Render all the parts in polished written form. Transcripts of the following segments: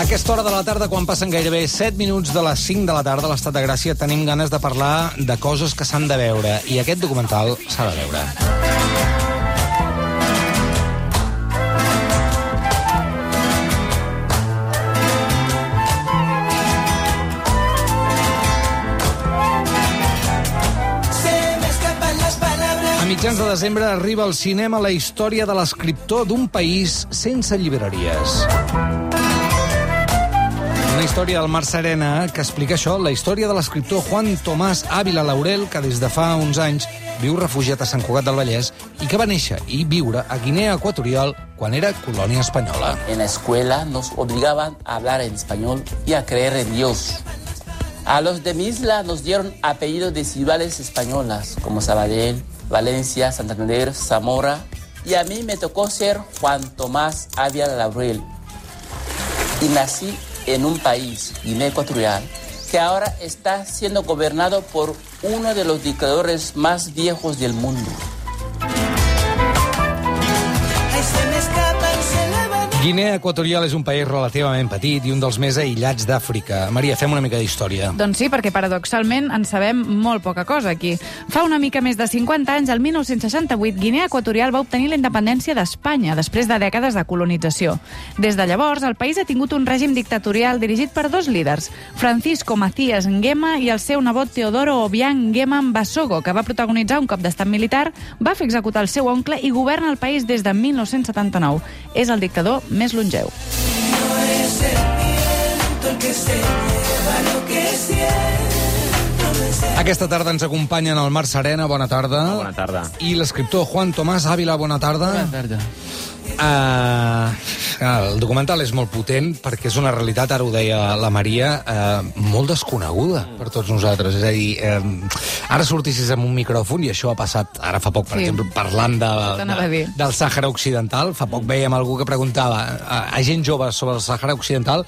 A aquesta hora de la tarda, quan passen gairebé 7 minuts de les 5 de la tarda a l'Estat de Gràcia, tenim ganes de parlar de coses que s'han de veure. I aquest documental s'ha de veure. A mitjans de desembre arriba al cinema la història de l'escriptor d'un país sense llibreries. Una història del Mar Serena que explica això, la història de l'escriptor Juan Tomás Ávila Laurel, que des de fa uns anys viu refugiat a Sant Cugat del Vallès i que va néixer i viure a Guinea Equatorial quan era colònia espanyola. En la escuela nos obligaban a hablar en español y a creer en Dios. A los de mi isla nos dieron apellidos de ciudades españolas, como Sabadell, Valencia, Santander, Zamora, y a mí me tocó ser Juan Tomás Ávila Laurel. Y nací en un país, Guinea Ecuatorial, que ahora está siendo gobernado por uno de los dictadores más viejos del mundo. Guinea Equatorial és un país relativament petit i un dels més aïllats d'Àfrica. Maria, fem una mica d'història. Doncs sí, perquè paradoxalment en sabem molt poca cosa aquí. Fa una mica més de 50 anys, el 1968, Guinea Equatorial va obtenir la independència d'Espanya, després de dècades de colonització. Des de llavors, el país ha tingut un règim dictatorial dirigit per dos líders, Francisco Macías Nguema i el seu nebot Teodoro Obiang Nguema Mbasogo, que va protagonitzar un cop d'estat militar, va fer executar el seu oncle i governa el país des de 1979. És el dictador més longeu. Aquesta tarda ens acompanyen el Mar Serena, bona tarda. Bona tarda. I l'escriptor Juan Tomás Ávila, bona tarda. Bona tarda. El documental és molt potent perquè és una realitat, ara ho deia la Maria, molt desconeguda per tots nosaltres. És a dir, ara sortissis amb un micròfon, i això ha passat ara fa poc, per exemple, parlant del Sàhara Occidental. Fa poc veiem algú que preguntava a gent jove sobre el Sàhara Occidental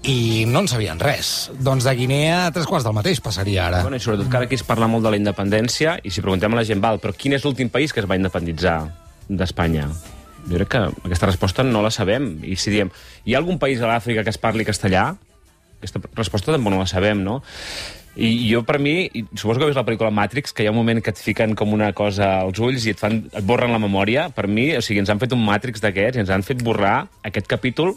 i no en sabien res. Doncs de Guinea a 3 quarts del mateix passaria ara. Bueno, i sobretot que ara aquí es parla molt de la independència, i si preguntem a la gent, però quin és l'últim país que es va independitzar d'Espanya? Jo crec que aquesta resposta no la sabem. I si diem, hi ha algun país a l'Àfrica que es parli castellà? Aquesta resposta tampoc no la sabem, no? I jo, per mi, suposo que veus la pel·lícula Matrix, que hi ha un moment que et fiquen com una cosa als ulls i et borren la memòria. Per mi, o sigui, ens han fet un Matrix d'aquests i ens han fet borrar aquest capítol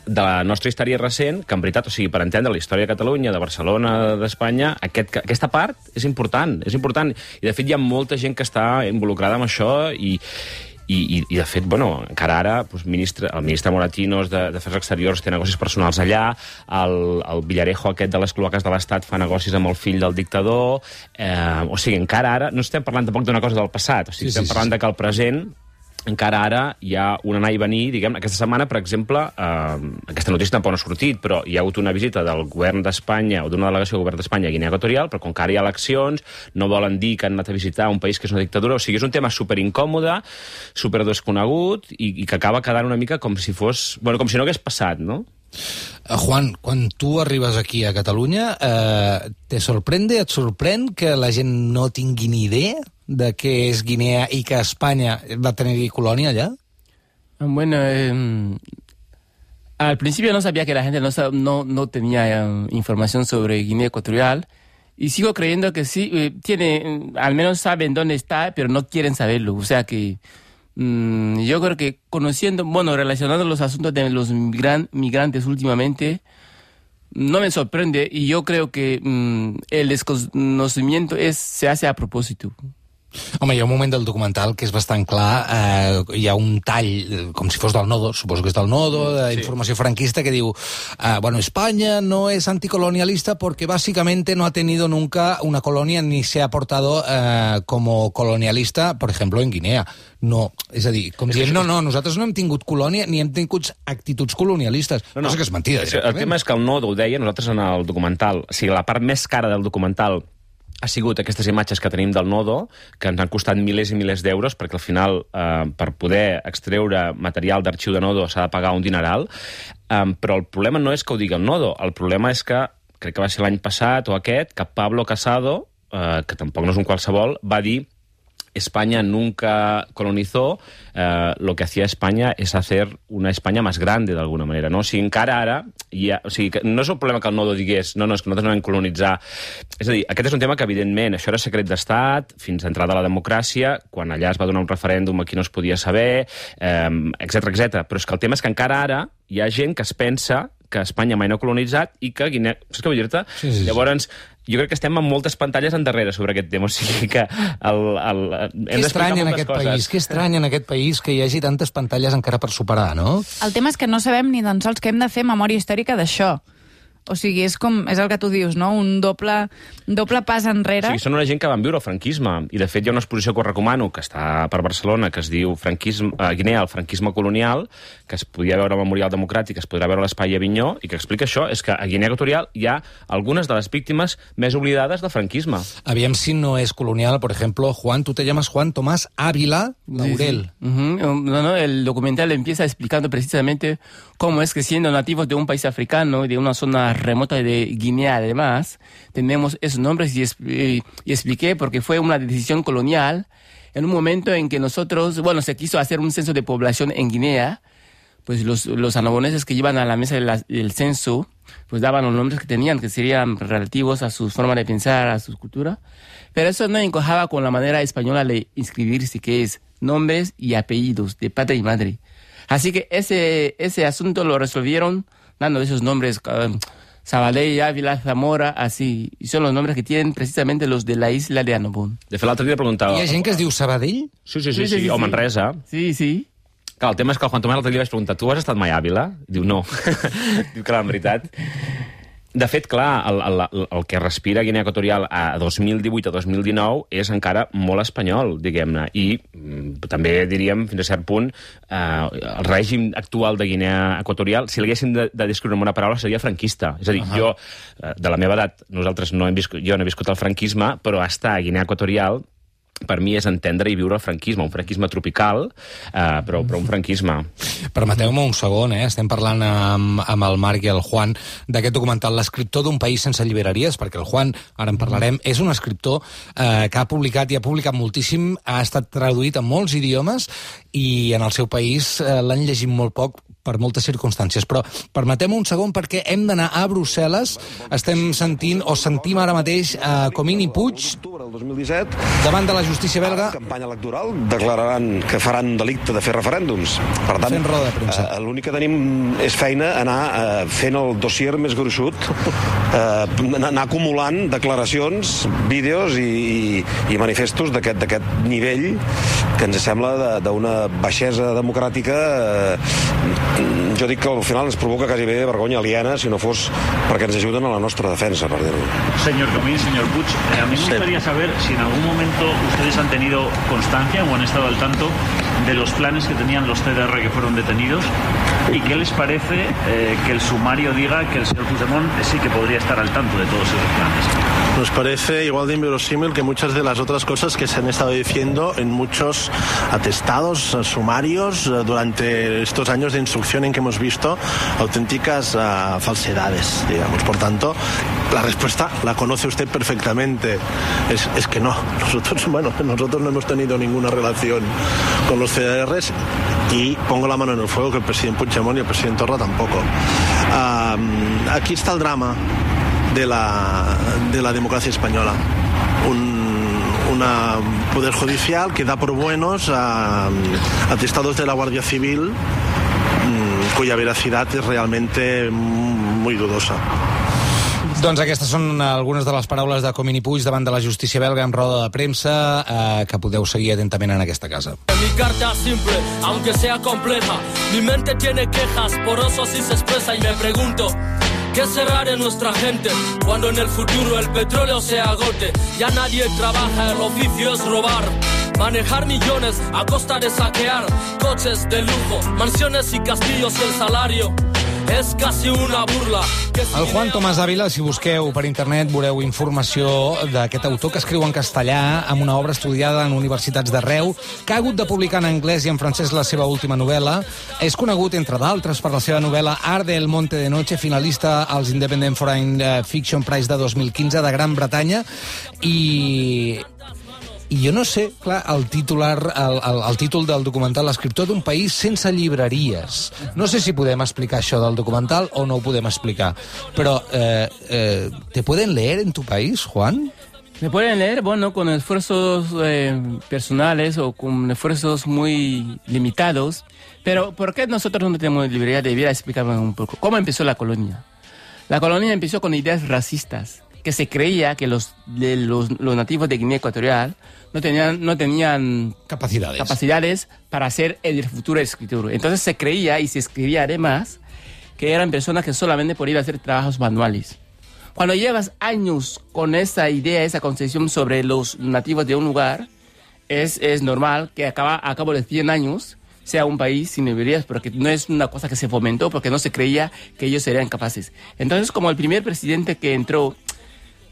de la nostra història recent, que en veritat, o sigui, per entendre la història de Catalunya, de Barcelona, d'Espanya, aquesta part és important, és important. I, de fet, hi ha molta gent que està involucrada en això i de fet, bueno, encara ara el ministre Moratinos d'Afers Exteriors té negocis personals allà, el Villarejo aquest de les cloaques de l'Estat fa negocis amb el fill del dictador, o sigui, encara ara no estem parlant tampoc d'una cosa del passat, o sigui, estem parlant de que el present encara ara hi ha un anar i venir, diguem, aquesta setmana, per exemple, aquesta notícia tampoc no ha sortit, però hi ha hagut una visita del govern d'Espanya, o d'una delegació del govern d'Espanya a Guinea Equatorial, però com que ara hi ha eleccions, no volen dir que han anat a visitar un país que és una dictadura, o sigui, és un tema superincòmode, superdesconegut, i que acaba quedant una mica com si fos... Bueno, com si no hagués passat, no? Juan, quan tu arribes aquí a Catalunya, et sorprèn que la gent no tingui ni idea de què és Guinea i que Espanya va tenir colònia allá? Bueno, al principio no sabía que la gente no tenía información sobre Guinea Ecuatorial, y sigo creyendo que sí, al menos saben dónde está, pero no quieren saberlo. O sea que yo creo que relacionando los asuntos de los migrantes últimamente, no me sorprende, y yo creo que el desconocimiento se hace a propósito. Home, hi ha un moment del documental que és bastant clar, hi ha un tall, com si fos del Nodo, suposo que és del Nodo, d'informació franquista, que diu, bueno, España no es anticolonialista porque básicamente no ha tenido nunca una colonia ni se ha portado como colonialista, por ejemplo, en Guinea. No, és a dir, com dient, no, nosaltres no hem tingut colònia ni hem tingut actituds colonialistes. No sé que és mentida. El tema és que el Nodo ho deia, nosaltres en el documental, o sigui, la part més cara del documental ha sigut aquestes imatges que tenim del Nodo, que ens han costat milers i milers d'euros, perquè al final, per poder extreure material d'arxiu de Nodo s'ha de pagar un dineral, però el problema no és que ho digui el Nodo, el problema és que, crec que va ser l'any passat o aquest, que Pablo Casado, que tampoc no és un qualsevol, va dir España nunca colonizó, lo que hacía España es hacer una España más grande, d'alguna manera, no? O sigui, encara ara, o sigui, no és el problema que el Nodo digués no, és que nosaltres no vam colonitzar. És a dir, aquest és un tema que, evidentment, això era secret d'estat fins a entrada a la democràcia, quan allà es va donar un referèndum aquí no es podia saber, etc. Però és que el tema és que encara ara hi ha gent que es pensa que Espanya mai no ha colonitzat i que Guinea... Saps què vull dir-te? Sí. Llavors, jo crec que estem amb moltes pantalles endarrere sobre aquest tema, o sigui que hem d'explicar moltes coses. Que estrany en aquest país que hi hagi tantes pantalles encara per superar, no? El tema és que no sabem ni tan sols que hem de fer memòria històrica d'això. O sigui, és el que tu dius, no? Un doble pas enrere. O sigui, són una gent que van viure el franquisme, i de fet hi ha una exposició que us recomano, que està per Barcelona, que es diu Guinea, el franquisme colonial, que es podia veure al Memorial Democràtic, es podrà veure a l'Espai Avinyó, i que explica això, és que a Guinea Equatorial hi ha algunes de les víctimes més oblidades del franquisme. Aviam si no és colonial, por ejemplo, Juan, tú te llamas Juan Tomás Ávila Laurel. Sí. No, el documental empieza explicando precisamente cómo es que siendo nativos de un país africano y de una zona remota de Guinea, además, tenemos esos nombres y expliqué porque fue una decisión colonial en un momento en que nosotros, se quiso hacer un censo de población en Guinea, pues los anaboneses que iban a la mesa del censo, pues daban los nombres que tenían, que serían relativos a su forma de pensar, a su cultura, pero eso no encajaba con la manera española de inscribirse, que es nombres y apellidos de padre y madre. Así que ese asunto lo resolvieron dando esos nombres, Sabadell, Ávila, Zamora, así. Y son los nombres que tienen precisamente los de la isla de Annobón. De fet, l'altre dia preguntava... Hi ha gent que es diu Sabadell? Sí. O Manresa. Sí. Clar, el tema és que el Juan Tomàs l'altre dia vaig preguntar, tu has estat mai a Àvila? Diu, no. Diu que en veritat... De fet, clar, el que respira Guinea Equatorial a 2018 a 2019 és encara molt espanyol, diguem-ne, i també diríem, fins a cert punt, el règim actual de Guinea Equatorial, si l'haguéssim de descriure amb una paraula, seria franquista. És a dir, jo, de la meva edat, jo no he viscut el franquisme, però estar a Guinea Equatorial per mi és entendre i viure el franquisme, un franquisme tropical, però un franquisme. Permeteu-me un segon, estem parlant amb el Marc i el Juan d'aquest documental, l'escriptor d'un país sense llibreries, perquè el Juan, ara en parlarem, és un escriptor que ha publicat i ha publicat moltíssim, ha estat traduït a molts idiomes i en el seu país l'han llegit molt poc per moltes circumstàncies, però permetem un segon perquè hem d'anar a Brussel·les. Estem sentim ara mateix Comín i Puig davant de la justícia belga. Campanya electoral declararan que faran un delicte de fer referèndums. Per tant, fent roda de premsa. L'únic que tenim és feina anar fent el dossier més gruixut, anar acumulant declaracions, vídeos i manifestos d'aquest nivell que ens sembla d'una baixesa democràtica. Jo dic que al final ens provoca quasi bé vergonya aliena si no fos perquè ens ajuden a la nostra defensa, per dir-ho. Señor Comín, señor Puig, a mí me gustaría saber si en algún momento ustedes han tenido constancia o han estado al tanto de los planes que tenían los CDR que fueron detenidos y qué les parece que el sumario diga que el señor Puigdemont sí que podría estar al tanto de todos esos planes. Nos parece igual de inverosímil que muchas de las otras cosas que se han estado diciendo en muchos atestados sumarios durante estos años de instrucción en que hemos visto auténticas falsedades, digamos. Por tanto, la respuesta la conoce usted perfectamente. Es que no. Nosotros no hemos tenido ninguna relación con los CDRs y pongo la mano en el fuego que el presidente Puigdemont y el presidente Torra tampoco. Aquí está el drama de la democracia española. Un poder judicial que da por buenos a atestados de la Guardia Civil cuya veracidad es realmente muy dudosa. Doncs aquestes són algunes de les paraules de Comín i Puig davant de la justícia belga en roda de premsa que podeu seguir atentament en aquesta casa. Mi carta simple, aunque sea compleja. Mi mente tiene quejas, por eso así se expresa y me pregunto ¿qué será de nuestra gente cuando en el futuro el petróleo se agote? Ya nadie trabaja, el oficio es robar. Manejar millones a costa de saquear coches de lujo, mansiones y castillos y el salario és quasi una burla. El Juan Tomás Ávila, si busqueu per internet, veureu informació d'aquest autor que escriu en castellà amb una obra estudiada en universitats d'arreu, que ha hagut de publicar en anglès i en francès la seva última novel·la. És conegut, entre d'altres, per la seva novel·la Arde el Monte de Noche, finalista als Independent Foreign Fiction Prize de 2015 de Gran Bretanya, i I jo no sé, clar, el títol del documental, l'escriptor d'un país sense llibreries. No sé si podem explicar això del documental o no ho podem explicar, però ¿te pueden leer en tu país, Juan? Me pueden leer, bueno, con esfuerzos personales o con esfuerzos muy limitados. Pero ¿por qué nosotros no tenemos librería? Debería explicarme un poco. ¿Cómo empezó la colonia? La colonia empezó con ideas racistas, que se creía que los nativos de Guinea Ecuatorial no tenían capacidades para ser el futuro escritor. Entonces se creía y se escribía además que eran personas que solamente podían hacer trabajos manuales. Cuando llevas años con esa idea, esa concepción sobre los nativos de un lugar, es normal que a cabo de 100 años sea un país sin librerías, porque no es una cosa que se fomentó, porque no se creía que ellos serían capaces. Entonces, como el primer presidente que entró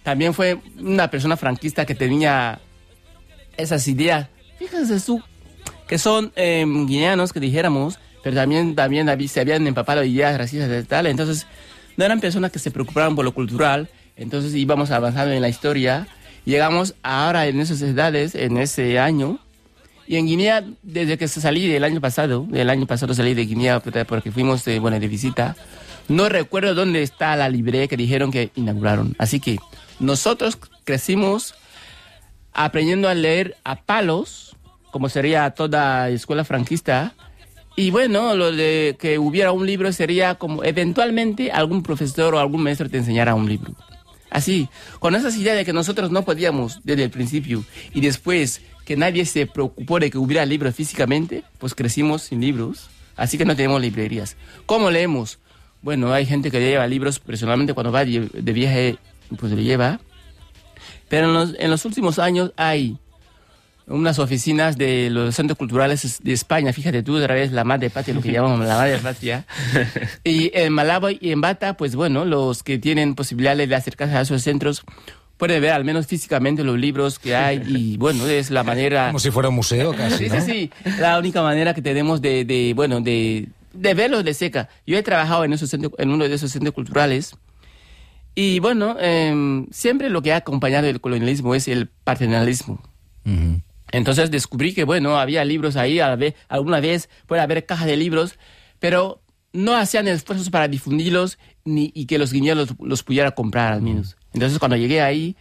también fue una persona franquista que tenía esas ideas, fíjense tú, que son guineanos, que dijéramos, pero también se habían empapado de ideas racistas y tal, entonces no eran personas que se preocupaban por lo cultural, entonces íbamos avanzando en la historia, llegamos ahora en esas edades, en ese año, y en Guinea, desde que salí del año pasado salí de Guinea porque fuimos de visita, no recuerdo dónde está la librería que dijeron que inauguraron. Así que nosotros crecimos aprendiendo a leer a palos, como sería toda escuela franquista, y bueno, lo de que hubiera un libro sería como eventualmente algún profesor o algún maestro te enseñara un libro. Así, con esas ideas de que nosotros no podíamos desde el principio y después que nadie se preocupó de que hubiera libros físicamente, pues crecimos sin libros, así que no tenemos librerías. ¿Cómo leemos? Bueno, hay gente que lleva libros, personalmente cuando va de viaje, pues le lleva, pero en los últimos años hay unas oficinas de los centros culturales de España, fíjate tú, otra vez la madre patria, lo que llamamos la madre patria, y en Malabo y en Bata, pues bueno, los que tienen posibilidades de acercarse a esos centros pueden ver al menos físicamente los libros que hay y bueno, es la manera... Como si fuera un museo casi, ¿no? Sí, la única manera que tenemos de verlos de cerca. Yo he trabajado en uno de esos centros culturales y bueno, siempre lo que ha acompañado el colonialismo es el paternalismo. Uh-huh. Entonces descubrí que bueno, había libros ahí, alguna vez puede haber cajas de libros, pero no hacían esfuerzos para difundirlos y que los guineanos los pudieran comprar al menos. Entonces cuando llegué ahí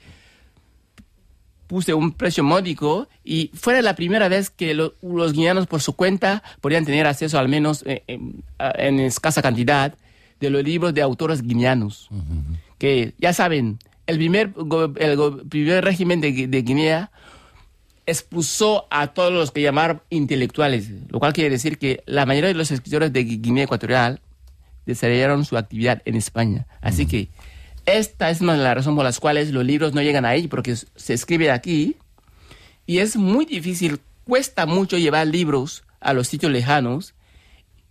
puse un precio módico y fue la primera vez que los guineanos por su cuenta podían tener acceso al menos en escasa cantidad de los libros de autores guineanos. Uh-huh. Que ya saben, el primer régimen de Guinea expulsó a todos los que llamaron intelectuales, lo cual quiere decir que la mayoría de los escritores de Guinea Ecuatorial desarrollaron su actividad en España. Así que esta es una de las razones por las cuales los libros no llegan ahí, porque se escribe aquí y es muy difícil, cuesta mucho llevar libros a los sitios lejanos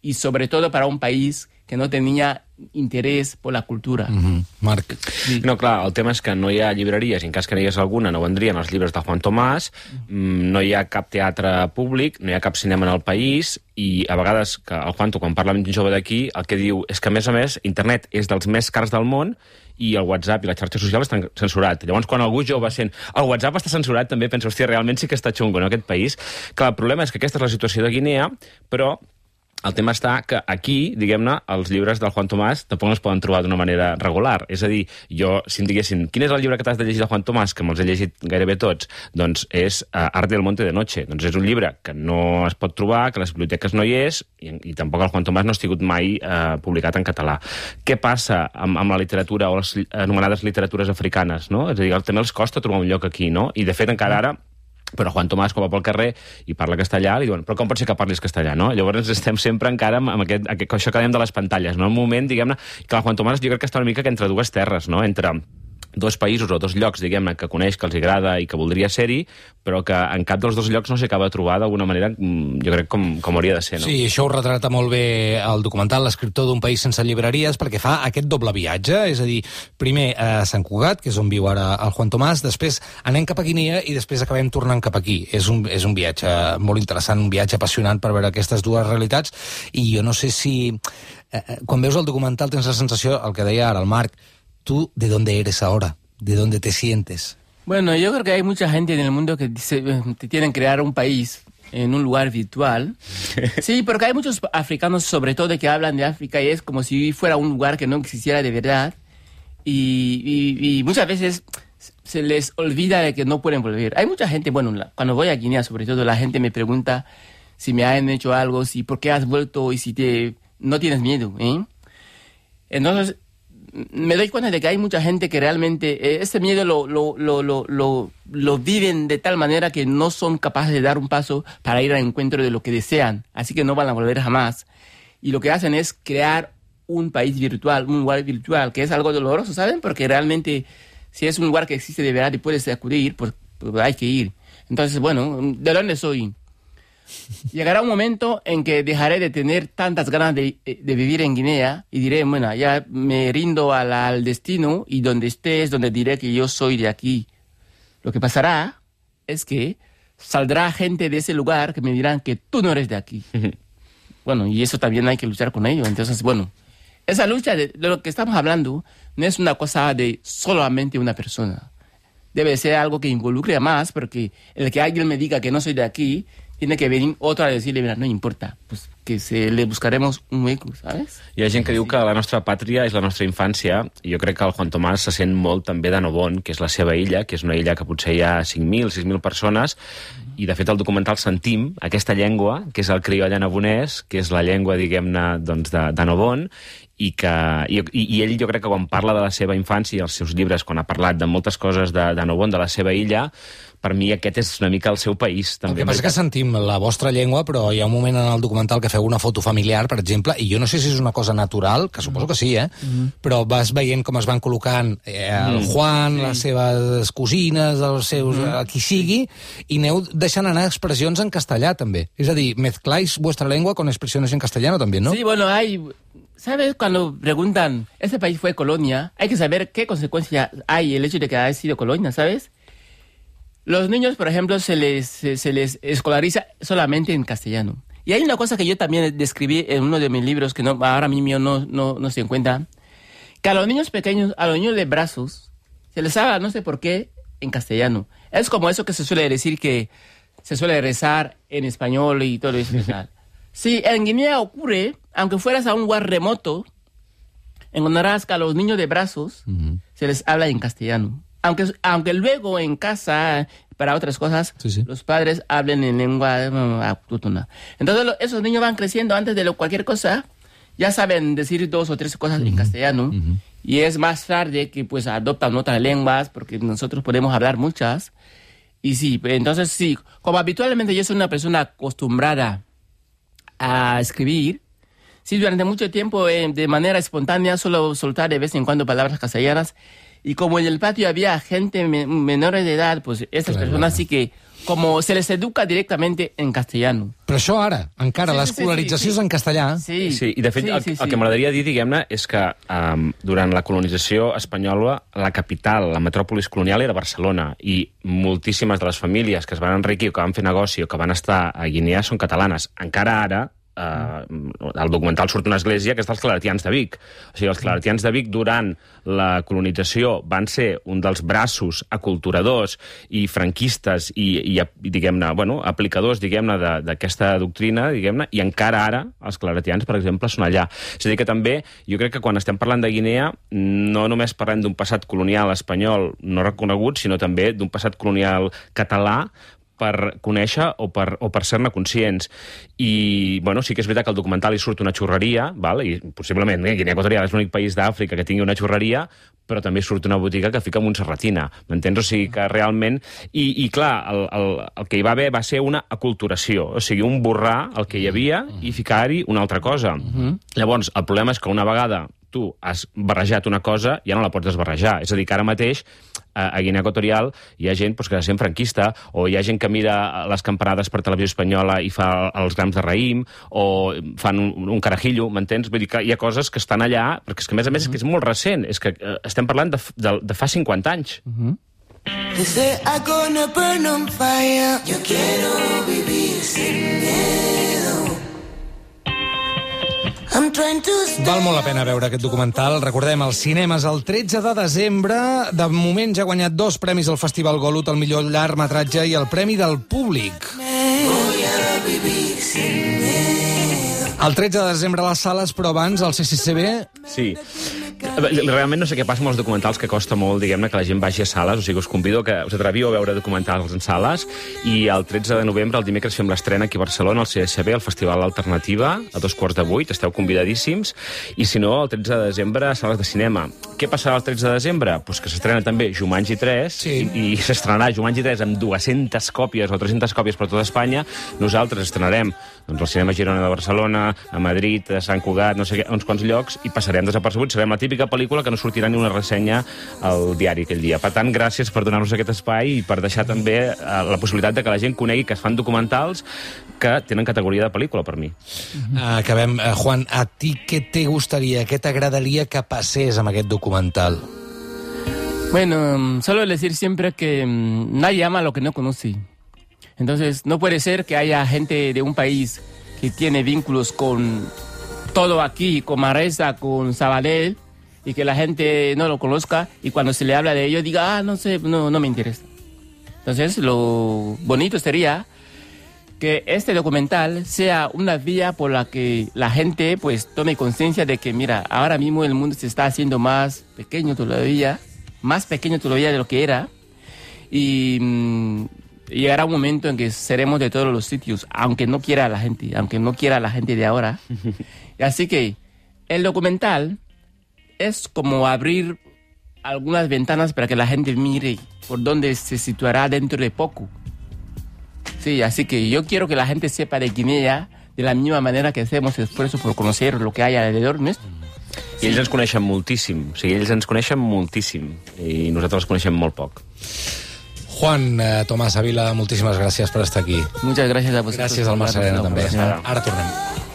y sobre todo para un país que no tenía interès per la cultura. Marc. Sí. No, clar, el tema és que no hi ha llibreries, i en cas que n'hi hagués alguna no vendrien els llibres de Juan Tomàs, no hi ha cap teatre públic, no hi ha cap cinema en el país, i a vegades que el Juanto, quan parla amb gent jove d'aquí, el que diu és que, a més, internet és dels més cars del món i el WhatsApp i la xarxa social estan censurat. Llavors, quan algú jove sent el WhatsApp està censurat, també penso, hòstia, realment sí que està xungo, no, aquest país. Clar, el problema és que aquesta és la situació de Guinea, però el tema està que aquí, diguem-ne, els llibres del Juan Tomàs tampoc no es poden trobar d'una manera regular. És a dir, jo, si em diguessin, quin és el llibre que t'has de llegir de Juan Tomàs, que me'ls he llegit gairebé tots, doncs és Art del Monte de Noche. Doncs és un llibre que no es pot trobar, que a les biblioteques no hi és, i tampoc el Juan Tomàs no ha sigut mai publicat en català. Què passa amb la literatura o les anomenades literatures africanes, no? És a dir, també els costa trobar un lloc aquí, no? I, de fet, encara ara, però Juan Tomàs, quan va pel carrer i parla castellà, li diuen, però com pot ser que parlis castellà, no? Llavors estem sempre encara amb això que dèiem de les pantalles, no? Un moment, diguem-ne, que el Juan Tomàs jo crec que està una mica entre dues terres, no? Entre dos països o dos llocs, diguem-ne, que coneix, que els agrada i que voldria ser-hi, però que en cap dels dos llocs no s'acaba de trobar d'alguna manera, jo crec, com hauria de ser, no? Sí, això ho retrata molt bé el documental L'escriptor d'un país sense llibreries, perquè fa aquest doble viatge, és a dir, primer a Sant Cugat, que és on viu ara el Juan Tomàs, després anem cap a Guinea i després acabem tornant cap aquí. És un viatge molt interessant, un viatge apassionant per veure aquestes dues realitats, i jo no sé si... Quan veus el documental tens la sensació, el que deia ara el Marc, ¿tú de dónde eres ahora? ¿De dónde te sientes? Bueno, yo creo que hay mucha gente en el mundo que dice que tienen que crear un país en un lugar virtual. Sí, porque hay muchos africanos, sobre todo, que hablan de África y es como si fuera un lugar que no existiera de verdad. Y muchas veces se les olvida de que no pueden volver. Hay mucha gente, bueno, cuando voy a Guinea, sobre todo, la gente me pregunta si me han hecho algo, si por qué has vuelto y si no tienes miedo, ¿eh? Entonces, me doy cuenta de que hay mucha gente que realmente ese miedo lo viven de tal manera que no son capaces de dar un paso para ir al encuentro de lo que desean. Así que no van a volver jamás. Y lo que hacen es crear un país virtual, un lugar virtual, que es algo doloroso, ¿saben? Porque realmente, si es un lugar que existe de verdad y puedes acudir, pues hay que ir. Entonces, bueno, ¿de dónde soy? Llegará un momento en que dejaré de tener tantas ganas de vivir en Guinea y diré, bueno, ya me rindo al destino y donde esté es donde diré que yo soy de aquí. Lo que pasará es que saldrá gente de ese lugar que me dirán que tú no eres de aquí. Bueno, y eso también hay que luchar con ello. Entonces, bueno, esa lucha de lo que estamos hablando no es una cosa de solamente una persona. Debe ser algo que involucre a más, porque el que alguien me diga que no soy de aquí, tiene que venir otro a decirle, mira, no importa, pues que le buscaremos un hueco, ¿sabes? Hi ha gent que diu que la nostra pàtria és la nostra infància, i jo crec que el Juan Tomàs se sent molt també de Nobon, que és la seva illa, que és una illa que potser hi ha 5.000, 6.000 persones, i de fet al documental sentim aquesta llengua, que és el crioll anabonès, que és la llengua, diguem-ne, doncs, de Nobon, i ell jo crec que quan parla de la seva infància i els seus llibres, quan ha parlat de moltes coses de Nobon, de la seva illa, per mi aquest és una mica el seu país. També. El que passa és que sentim la vostra llengua, però hi ha un moment en el documental que feu una foto familiar, per exemple, i jo no sé si és una cosa natural, que suposo que sí, però vas veient com es van col·locant el Juan, les seves cosines, els seus... qui sigui, i aneu deixant anar expressions en castellà, també. És a dir, mezcláis vuestra lengua con expresiones en castellano, també, ¿no? Sí, bueno, ¿sabes? Cuando preguntan, ¿este país fue colonia? Hay que saber qué consecuencia hay el hecho de que haya sido colonia, ¿sabes? Los niños, por ejemplo, se les escolariza solamente en castellano. Y hay una cosa que yo también describí en uno de mis libros, que ahora mismo no se encuentra, que a los niños pequeños, a los niños de brazos, se les habla, no sé por qué, en castellano. Es como eso que se suele decir que se suele rezar en español y todo eso. Sí, en Guinea ocurre, aunque fueras a un lugar remoto, encontrarás que a los niños de brazos se les habla en castellano. Aunque luego en casa, para otras cosas, los padres hablen en lengua autóctona. Entonces esos niños van creciendo antes de cualquier cosa, ya saben decir 2 o 3 cosas en castellano, y es más tarde que pues adoptan otras lenguas, porque nosotros podemos hablar muchas. Y sí, entonces sí, como habitualmente yo soy una persona acostumbrada a escribir, sí, durante mucho tiempo de manera espontánea solo soltar de vez en cuando palabras castellanas. Y como en el patio había gente menores de edad, pues estas personas sí que, como se les educa directamente en castellano. Però això ara, encara, l'escolarització és en castellà. Sí, i de fet el que m'agradaria dir, diguem-ne, és que durant la colonització espanyola, la capital, la metròpolis colonial era Barcelona, i moltíssimes de les famílies que es van enriquir o que van fer negoci o que van estar a Guinea són catalanes. Encara ara, al documental surt una església que és dels claretians de Vic. O sigui, els claretians de Vic durant la colonització van ser un dels braços aculturadors i franquistes i diguem-ne, bueno, aplicadors, diguem-ne, d'aquesta doctrina, diguem-ne, i encara ara els claretians, per exemple, són allà. És a dir, que també, jo crec que quan estem parlant de Guinea, no només parlem d'un passat colonial espanyol no reconegut, sinó també d'un passat colonial català, per conèixer o per ser-ne conscients. I, bueno, sí que és veritat que al documental hi surt una xurreria, val? I possiblement Guinea Equatorial és l'únic país d'Àfrica que tingui una xurreria, però també surt una botiga que fica Montserratina, m'entens? O sigui que realment... I clar, el que hi va haver va ser una aculturació, o sigui, un borrar el que hi havia i ficar-hi una altra cosa. Llavors, el problema és que una vegada tu has barrejat una cosa, ja no la pots desbarrejar. És a dir, que ara mateix a Guinea Equatorial hi ha gent que sent franquista, o hi ha gent que mira les campanades per televisió espanyola i fa els grams de raïm, o fan un carajillo, m'entens? Vull dir que hi ha coses que estan allà, perquè és que, a més, és molt recent. És que estem parlant de fa 50 anys. Desde agona burn on fire. Yo quiero vivir sin miedo. Val molt la pena veure aquest documental. Recordem, als cinemes el 13 de desembre. De moment ja ha guanyat 2 premis al Festival Golut, el millor llargmetratge i el Premi del Públic. El 13 de desembre a les sales, però abans al CCCB... Sí. Realment no sé què passa amb els documentals, que costa molt, diguem-ne, que la gent vagi a sales. O sigui, us convido que us atreviu a veure documentals en sales. I el 13 de novembre, el dimecres, fem l'estrena aquí a Barcelona, al CSB, al Festival Alternativa, a 7:15. Esteu convidadíssims. I si no, el 13 de desembre, a sales de cinema. Què passarà el 13 de desembre? Pues que s'estrena també Jumanji 3, i s'estrenarà Jumanji 3 amb 200 còpies o 300 còpies per tota Espanya. Nosaltres estrenarem al Cinema Girona de Barcelona, a Madrid, a Sant Cugat, no sé què, uns quants llocs, i passarem desapercebuts. Serem la típica pel·lícula que no sortirà ni una ressenya al diari aquell dia. Per tant, gràcies per donar-nos aquest espai i per deixar també la possibilitat de que la gent conegui que es fan documentals que tenen categoria de pel·lícula, per mi. Acabem. Juan, a ti què te gustaría, què t'agradaria que passés amb aquest documental? Bueno, solo decir siempre que nadie ama lo que no conoce. Entonces, no puede ser que haya gente de un país que tiene vínculos con todo aquí, con Manresa, con Sabadell, y que la gente no lo conozca, y cuando se le habla de ello diga, no sé, no me interesa. Entonces, lo bonito sería que este documental sea una vía por la que la gente pues tome conciencia de que, mira, ahora mismo el mundo se está haciendo más pequeño todavía de lo que era, y llegará un momento en que seremos de todos los sitios, aunque no quiera la gente de ahora. Así que el documental es como abrir algunas ventanas para que la gente mire por dónde se situará dentro de poco. Sí, así que yo quiero que la gente sepa de Guinea de la misma manera que hacemos esfuerzo por conocer lo que hay alrededor nuestro. I ells ens coneixen moltíssim. O sigui, ells ens coneixen moltíssim. I nosaltres els coneixem molt poc. Juan Tomàs Ávila, moltíssimes gràcies per estar aquí. Muchas gracias a vosotros. Gràcies al Marc Serena, també. Ara tornem.